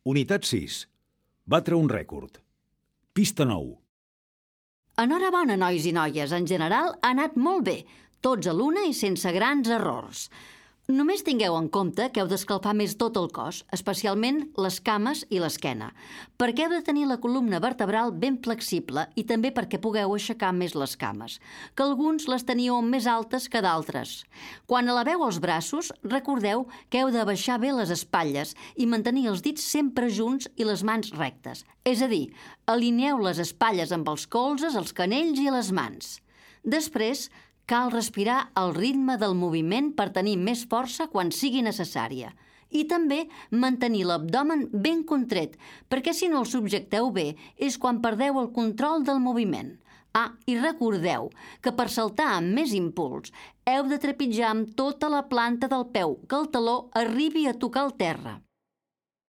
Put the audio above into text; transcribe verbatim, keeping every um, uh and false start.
Unitat sis. Batre un rècord. Pista nou. Enhorabona, nois i noies. En general ha anat molt bé, tots a l'una i sense grans errors. Només tingueu en compte que heu d'escalfar més tot el cos, especialment les cames i l'esquena, perquè heu de tenir la columna vertebral ben flexible i també perquè pugueu aixecar més les cames, que alguns les teníeu més altes que d'altres. Quan eleveu els braços, recordeu que heu de baixar bé les espatlles i mantenir els dits sempre junts i les mans rectes. És a dir, alineeu les espatlles amb els colzes, els canells i les mans. Després, cal respirar al ritme del moviment per tenir més força quan sigui necessària. I també mantenir l'abdomen ben contret, perquè si no el subjecteu bé és quan perdeu el control del moviment. Ah, i recordeu que per saltar amb més impuls heu de trepitjar amb tota la planta del peu, que el taló arribi a tocar el terra.